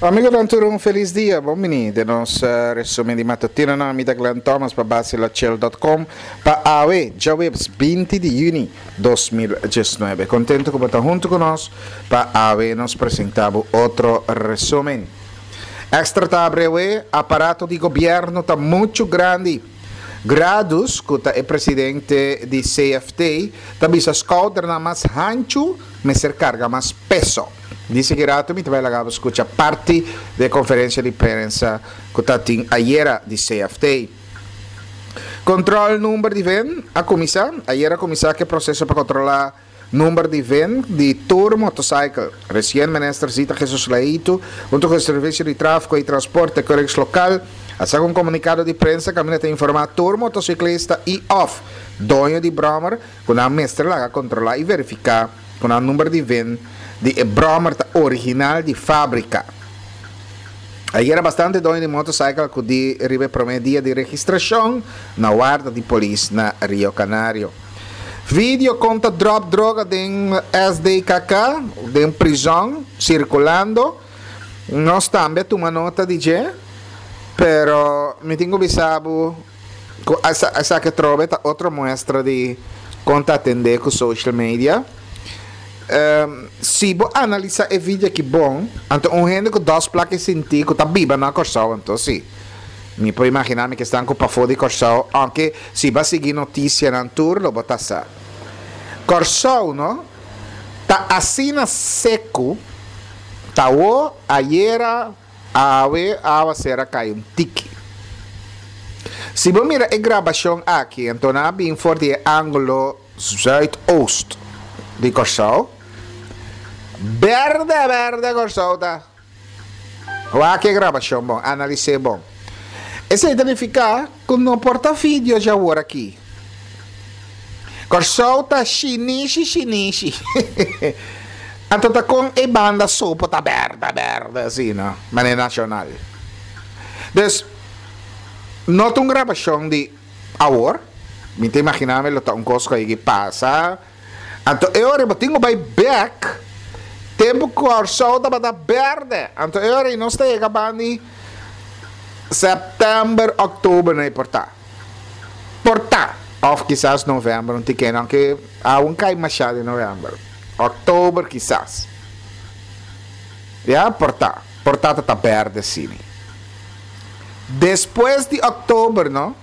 Amigonan tur un felis dia. Bon bini den nos resumen di matutinonan. Mi ta Glenn Thomas pa basilachel.com pa awe djaweps 20 di juni 2019. Contento cu bo ta hunto cu nos pa awe nos presenta bo otro resumen. Extra ta abrewe, aparato di gobierno ta mucho grandi. Gradus, cu ta e presidente di CFT, ta bisa scouternan mas hanchu mester carga mas peso. Di sigui rato mi ta bai laga bo scucha parti di e conferencia di prensa cu ta tin ayera di CFT. Control number di ven a cuminsa. Ayera a cuminsa cu e proceso pa controla Number di ven di tur motorcycle. Recien Minister Zita Jesus Leito, hunto cu e Servicio di Trafico y Transporte Keurigs Local, a saca un comunicado di prensa caminda ta informa tur motociclista y of doño di brommer cu nan mester laga controla y verifica cu nan number di ven di e brommer ta original di fabrica. Ayera bastante doño di motorcycle a acudi riba e prome dia di registracion na warda di polis na Rio Canario. Video kon ta drop droga den SDKK, den prizon, circulando. Nos tambe a tuma nota di dje, pero mi tin cu bisa bo cu esaki atrobe ta otro muestra di kon ta atende cu social media. Si bo analisa e video aki bon, anto un hende cu dos plak e sinti cu ta biba na Corsou anto si. Mi por imaginá mi ke esnan ku pafó di Kòrsou, ounke si bo a sigui notisianan tur lo bo ta sa. Kòrsou no ta asina seku, ta awo, ayera, awe, awaser a kai un tiki. Si bo mira e grabashon aki, anto nan a bin for di e ángulo zuidoost di Kòrsou, bèrdè bèrdè Kòrsou ta. Wak e grabashon bon, analis'é bon. Esei ta nifiká ku no por ta video djawor aki. Kòrsou ta shinishi shinishi. Anto ta kon e banda so por ta bèrdè bèrdè asina, manera nashonal. Dus, no ta un grabashon di awor, mi ta imaginá mi lo ta un kos ku a yega pasa. Anto e ora bo tin ku bai bek tempu Kòrsou tabata bèrdè. Anto e ora ei nos ta yega bandi sèptèmber, òktober no e por ta. Por ta. Òf kisas novèmber un tikén, aunke aun kai mashá den novèmber. Òktober kisas. Ya, por ta. Por ta ta ta bèrdè asina. Despues di òktober no,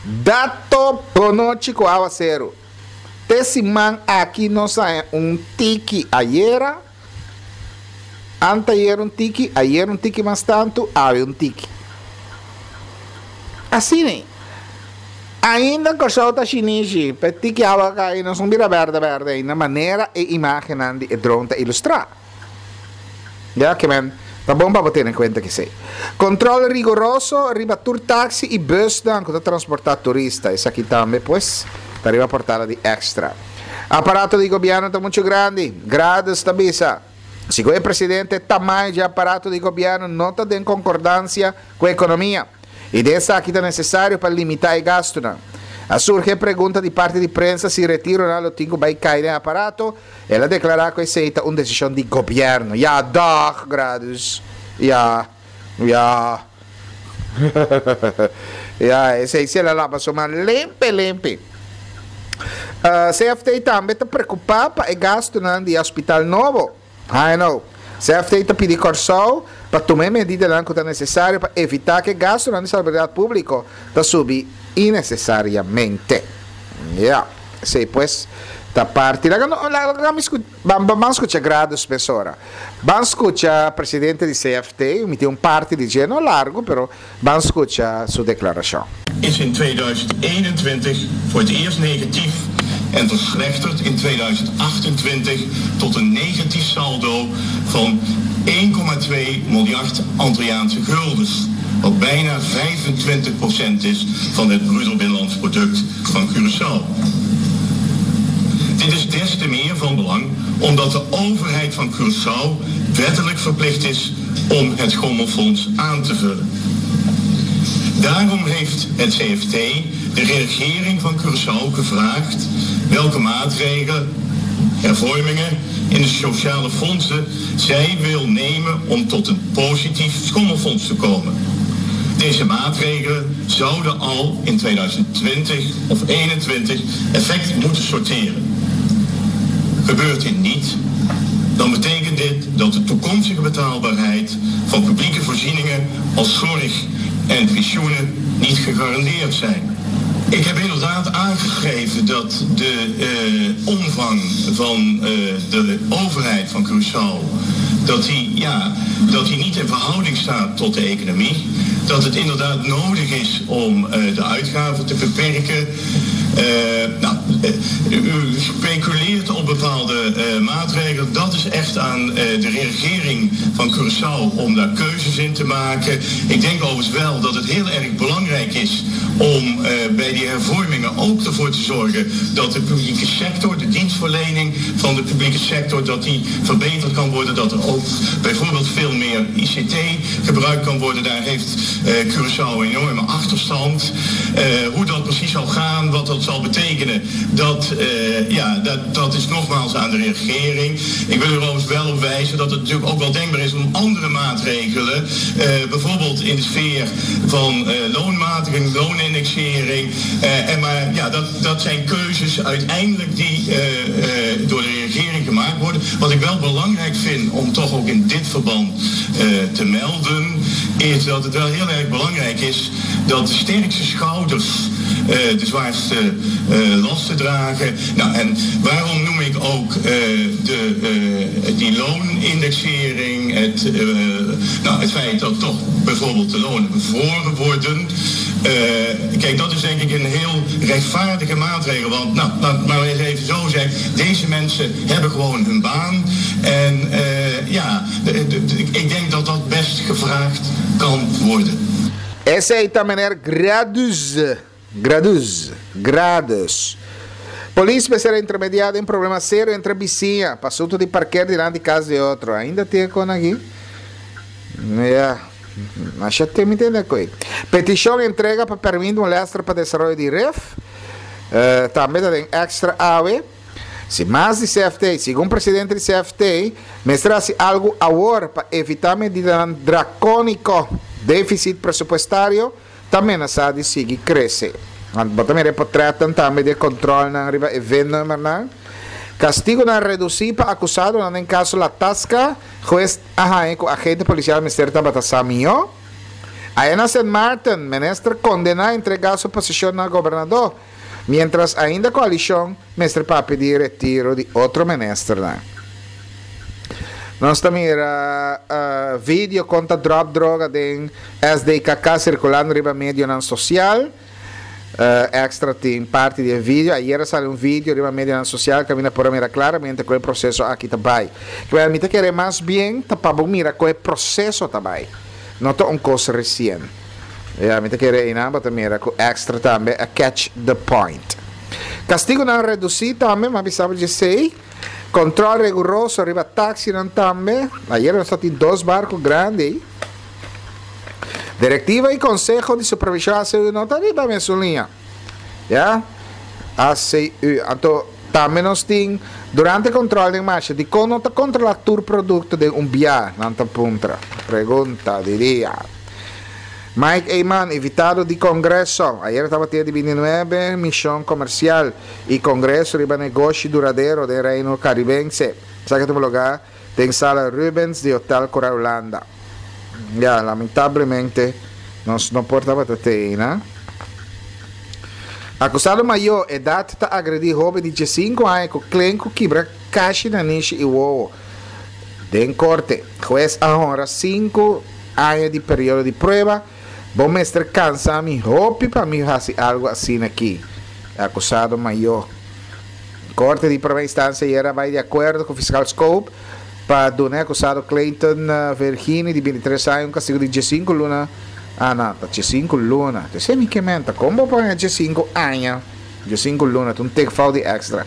dato bonochi ku awaseru. Te siman aki nos haña un tiki ayera, anteayer un tiki, ayer un tiki mas tantu, awe un tiki. Asina ei. Ainda Kòrsou ta shinishi, pa e tiki awa kai nos no bira bèrdè bèrdè ainda manera e imágennan di e drone ta ilustrá. Ya ke men ta bon pa bo tene kuenta kesei. Kontrol rigoroso riba tur taksi i busnan ku ta transportá turista. Esaki tambe pues ta riba portada di Extra. Aparato di gobièrnu ta muchu grandi, Gradus ta bisa. Segun e presidente, tamaño dje aparato di gobièrnu no ta den konkordansia ku ekonomia. I den esaki ta nesesario pa limitá e gastunan. A surgi e pregunta di parti di prensa si retironan lo tin ku bai kai den aparato. El a deklará ku esei ta un desishon di gobièrnu. Ja, dag, Gradus. Ja, ja. Ja, esei si el a laba su man limpi, limpi. CFT tambe ta preokupá pa e gastunan di e hospital nobo. HNO. CFT ta pidi Kòrsou pa tuma e medidanan ku ta nesesario pa evitá ku e gastunan di salubridat públiko ta subi inesesariamente. Ya, esei pues ta parti. Laga no, laga mi sku, ban, ban skucha Gradus mesora. Ban skucha presidente di CFT, mi tin un parti di dje, no largu, pero ban skucha su deklarashon. Is in 2021 voor het eerst negatief en verslechtert in 2028 tot een negatief saldo van 1,2 miljard Antilliaanse guldens, wat bijna 25% is van het bruto binnenlands product van Curaçao. Dit is des te meer van belang omdat de overheid van Curaçao wettelijk verplicht is om het Gommelfonds aan te vullen. Daarom heeft het CFT de regering van Curaçao gevraagd welke maatregelen. hervormingen in de sociale fondsen zij wil nemen om tot een positief schommelfonds te komen. Deze maatregelen zouden al in 2020 of 2021 effect moeten sorteren. Gebeurt dit niet, dan betekent dit dat de toekomstige betaalbaarheid van publieke voorzieningen als zorg en pensioenen niet gegarandeerd zijn. Ik heb inderdaad aangegeven dat de eh, omvang van eh, de overheid van Curaçao dat die, ja, dat die niet in verhouding staat tot de economie. Dat het inderdaad nodig is om eh, de uitgaven te beperken. Eh, nou, eh, u speculeert op bepaalde eh, maatregelen. Dat is echt aan de regering van Curaçao om daar keuzes in te maken. Ik denk overigens wel dat het heel erg belangrijk is om bij die hervormingen ook ervoor te zorgen dat de publieke sector, de dienstverlening van de publieke sector, dat die verbeterd kan worden. Dat er ook bijvoorbeeld veel meer ICT gebruikt kan worden. Daar heeft Curaçao een enorme achterstand. Hoe dat precies zal gaan, wat dat zal betekenen, dat, eh, ja, dat, dat is nogmaals aan de regering. Ik wil er overigens wel op wijzen dat het natuurlijk ook wel denkbaar is om andere maatregelen, eh, bijvoorbeeld in de sfeer van eh, loonmatiging, loonindexering. en maar ja, dat, dat zijn keuzes uiteindelijk die door de regering gemaakt worden. Wat ik wel belangrijk vind om toch ook in dit verband te melden, is dat het wel heel erg belangrijk is dat de sterkste schouders de zwaarste lasten dragen. Nou, en waarom noem ik ook de, die loonindexering, het, nou, het feit dat toch bijvoorbeeld de lonen bevroren worden. Kijk, dat is denk ik een heel rechtvaardige maatregel. Want, nou, laat maar eens even zo zeggen, deze mensen hebben gewoon hun baan. En ja, ik denk dat dat best gevraagd kan worden. Esei ta meneer Gradus. Gradus. Gradus. Polis mester a intermediá den problema serio entre bisiña pa asunto di parker dilanti kas di otro. Ainda tin e kon aki? Ya. Masha tin mi tende koe. Petishon entrega pa permit molester pa desaroyo di ref. Tambe ta den extra awe. Si mas di CFT, segun presidente di CFT, mester hasi algu awor pa evitá medidanan drakóniko. Défisit presupuestario ta menasá di sigui krese. Bo ta mira e potrètnan tambe di e kòntròlnan riba e V-nummernan. Kastigunan redusí pa akusadonan den kaso La Tasca, hues a haña ku agente polisial mester tabata sa mihó. Aya na Sint Maarten, minister kondená entregá su posishon na gobernadó. Mientras ainda coalicion mester papia di retiro di otro ministernan. Nos ta mira video con ta drop droga den SDKK circulando riba medionan social. Extra tin parti di e video. Ayer a sali un video riba medionan social caminda por a mira claramente con e proceso aki ta bay. Kibera mi ta kere mas bien ta pa bo mira con e proceso ta bay. No ta un cos recien. Ya, mi ta kere einan bo ta mira ku extra tambe a catch the point. Kastigunan redusí tambe, m'a bisa bo djesei. Kontrol riguroso riba taksinan tambe. Ayer nos ta tin dos barku grandi ei. Direktiva i konseho di supervishon ACU no ta riba mesun liña. Ya, ACU. Anto tambe nos tin durante kontrol den marsha dikon no ta kontrolá tur produkto den un bia? Nan ta puntra. Pregunta di dia. Mike Eman, invitado di Congreso. Ayer tabatin e di bintinuebe mision comercial y congreso riba negoshi duradero den Reino Caribense. Esaki a tuma lugar den Sala Rubens di Hotel Cora Hulanda. Ya, lamentablemente nos no por tabata te eyna. Acusado mayor edad ta agredi hoben di diescinco aña cu klen cu kibra cashi nanishi y wowo. Den korte, hues a honra sinku aña di periodo di prueba. Bo mester kansa mi hopi pa mi hasi algu asina aki, e akusado mayó. Korte di promé instansia ayera a bai di akuerdo ku fiskal Scope pa duna e akusado Clayton Vergini di bintitres aña un kastigu di diesinku luna, ah no, ta diesinku luna, ta esei mi ke menta, kon bo pone diesinku aña, diesinku luna, ta un tekfout di extra.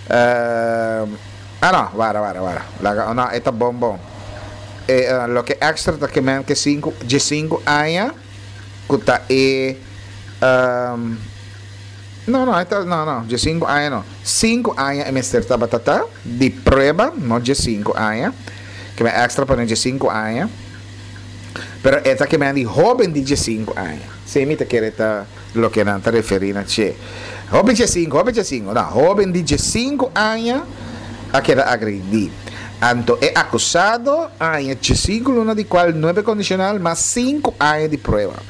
Ah no, wara, wara, wara. Laga, oh no, e ta bon bon. E loke extra ta ke men ke sinku, diesinku aña ku ta e um, No, no, e ta, no, no, diesinku aña no. Sinku aña e mester tabata ta di prueba, no diesinku aña. Ke men extra pone diesinku aña. Pero e ta ke men di hoben di diesinku aña. Si mi ta kere ta loke nan ta referi na dje. Hoben diesinku, hoben diesinku, no, hoben di diesinku aña a keda agredi. Anto e akusado a haña diesinku luna di kual nuebe kondishonal mas sinku aña di prueba.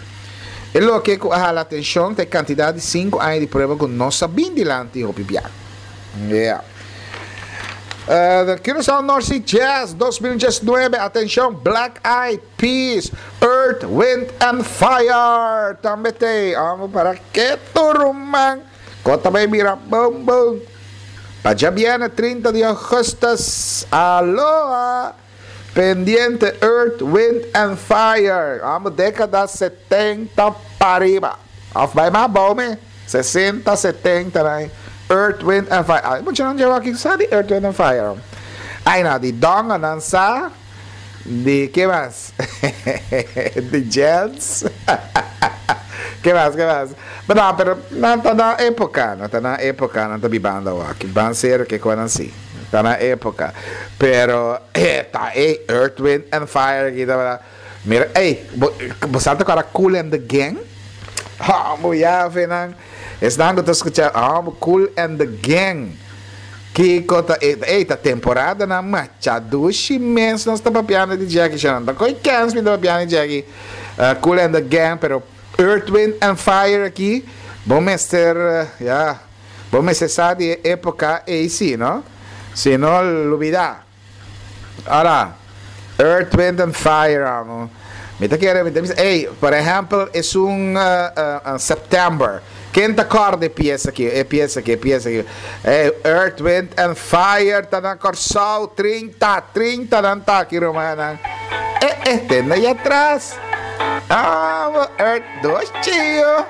E loke ku a hala atenshon ta e kantidat di sinku aña di prueba ku no sa bin dilanti hopi bia. Yeah. The Curaçao North Sea Jazz 2019, atenshon, Black Eyed Peas, Earth, Wind and Fire tambe t'ei. Amo para ketu ruman, ko ta bai bira boom boom. Pa djabièrnè 30 di augustus, aloha! Pendiente Earth, Wind and Fire, amo década 70 pariba. Of bai mas abou me, 60, 70 nan. Earth, Wind and Fire. Ay, mucha nan dje aki sa di Earth, Wind and Fire. Ay no, di donga nan sa, di ke mas? di Jens. ke mas, ke mas? Pero no, pero nan ta na época, nan ta na época, nan ta bibando awaki. Ban serio ke konan si. Ta na época. Pero eh ta e Earth, Wind and Fire aki tabata. Mira, ey, bo, bo sa ta kora Kool and the Gang? Hombo ya fe nan. Esnan ku ta skucha, hombo Kool and the Gang. Kiko ta e, ey, ta temporada nan macha dushi mes nos ta papiando di Jackie Chan. Ta koi kens mi ta papiando di Jackie. Uh, Kool and the Gang, pero Earth, Wind and Fire aki, bo mester, ya. Bo mester sa di e epoca ey si, no? Si no, lubida. Ora, Earth, Wind and Fire, amo. Mi ta kere, mi ta bisa, ey, por ehempel, esun September. Ken ta corda e pieza aki, e pieza aki, e pieza aki? Ey, Earth, Wind and Fire ta na Corsou, 30, 30 nan ta aki, rumannan. Eh, eh, tende ahí atras. Amo, Earth, dos chio.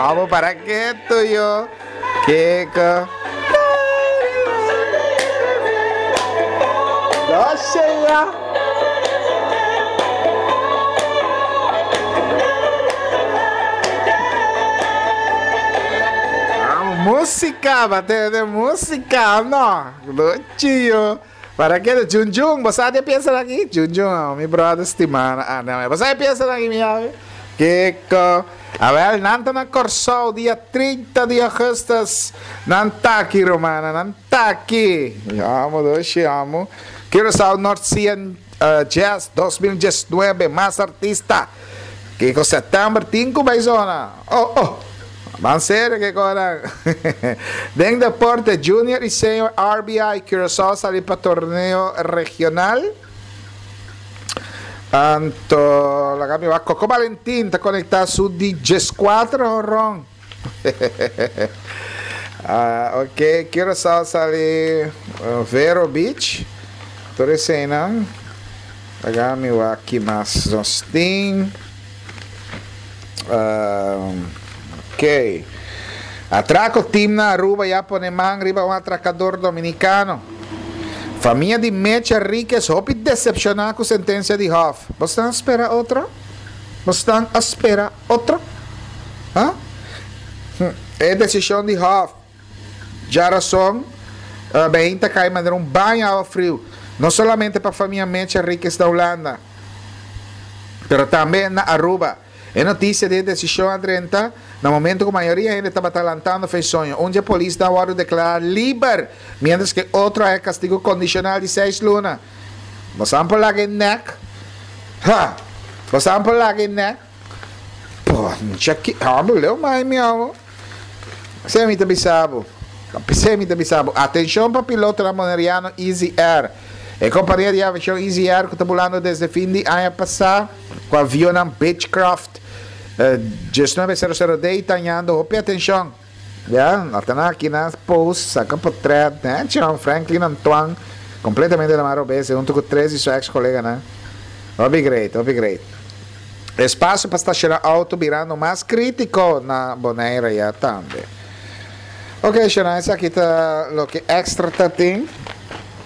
Amo para qué tuyo? Kiko? Doshia. Música, bate de música, no. Luchio. Para que Jun Jun, vos sabes piensa aquí? Jun Jun, oh, mi brother estimado. Ah, no, vos sabes piensa aquí, mi ave. Kiko. A ver, nan ta na Corsou dia 30 di augustus. Nan ta aki, romana, nan ta aki. Amo, doshi, amo. Curaçao North Sea Jazz 2019, mas artista. Kiko september tin ku bai zona. Oh, oh. Ban serio ke konan. Den deporte, junior y senior RBI Curaçao sali pa torneo regional. Anto, laga mi wak Coco Valentin ta conecta su di 14 horon. Ah, ok, Curaçao sali Vero Beach. Tur eseinan. Laga mi wak ki mas nos tin. Ok. Atraco team na Aruba ya pone man riba un atracador dominicano. Famia di Mecha Riquez hopi decepciona cu sentencia di Hof. Bo stan spera otro? Bo stan a spera otro? Ha? E decision di Hof djarason behin ta cay manera un baño awa friu, no solamente pa famia Mecha Riquez na Hulanda, pero tambe na Aruba. E noticia di e decision a drenta na momento cu mayoria hende tabata lantando fe soño. Un dje polisnan a wordo declara liber, mientras cu e otro a haya castigo condicional di seis luna. Bosan por laga e nek? Ha! Bosan por laga e nek? Poncha ki amo leu mai mi amo. Esei mi ta bisa bo. P'esei mi ta bisa bo, atenshon pa pilotonan boneriano Easy Air. E kompania di aviashon Easy Air ku ta bulando desde fin di aña pasá ku avionnan Beechcraft 1900D ta hañando hopi atenshon. Ya, ata nan aki nan post, saka potret, nèchi Franklin Antoine kompletamente na man robes huntu ku tres di su eks koleganan. Hopi great, hopi great. Espasio pa stashoná outo birando mas krítiko na Bonaire ya tambe. Ok, Shona, esaki ta loke extra ta tin.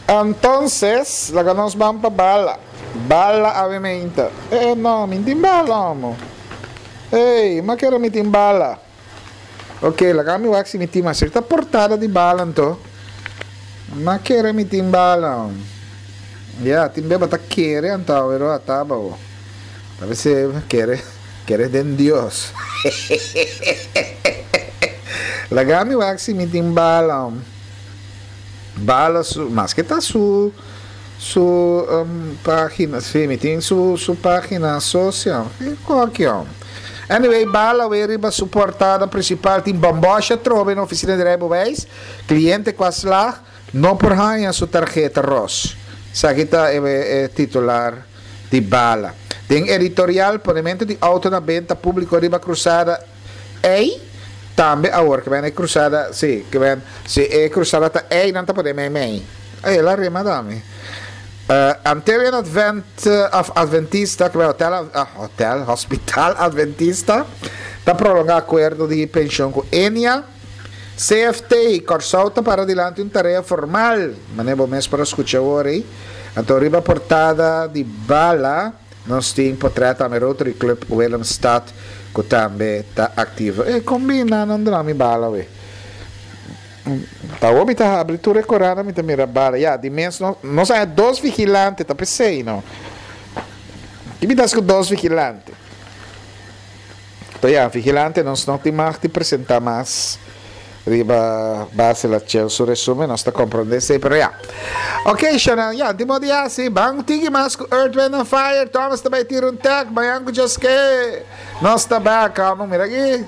Entonces, laga nos ban pa bala. Bala awe meinta. Eh, no, mi tin bala, homo. Ey, ma kere mi tin bala. Ok, laga mi wak si mi tin mas. Ta portada di bala anto. Ma kere mi tin bala. Ya, tin beba ta kere anto awero ataba o. Ta bese kere, kere den Dios. Laga mi wak si mi tin bala. Bala su, maske ta su su um, pagina, si mi tin su su pagina social. Kiko aki om? Anyway, Bala we riba su portada principal tin bombosha trobe na oficina di rijbewijs. Cliente cu a slag no por haña su tarjeta ros. Esaki ta e, e titular di Bala. Den editorial, ponemento di auto na benta publico riba cruzada Ey tambe awor ke men e cruzada si ke men si e cruzada ta ey nan ta pone mei mei ey el a rema dami Antillian Advent of Adventista ke men hotel hotel hospital Adventista ta prolonga akuerdo di penshon ku Enia CFT Kòrsou ta para dilanti un tarea formal mane bo mes por a skucha awor ey anto riba portada di bala. Nos tin potret tambe Rotary Club Willemstad cu tambe ta activo. E combina nan duna mi bala we. Ta awor mi ta habri tur e corana mi ta mira bala. Ya, di mes no, nos haya dos vigilante ta pesey no. Ki mi ta haci cu dos vigilante? Pero ya, vigilante nos no tin mag di presenta mas riba base la Chel su resumen, nos ta comprende esey, pero ya. Ok, Chanel, ya, di modo ya, si, ban tigi mas cu Earth, Wind and Fire, Thomas ta bay tira un tag, mañan cu Joske, nos ta back, amo, mira aki,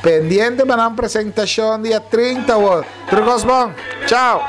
pendiente pa nan presentacion dia 30 awor. Tur cos bon, chao.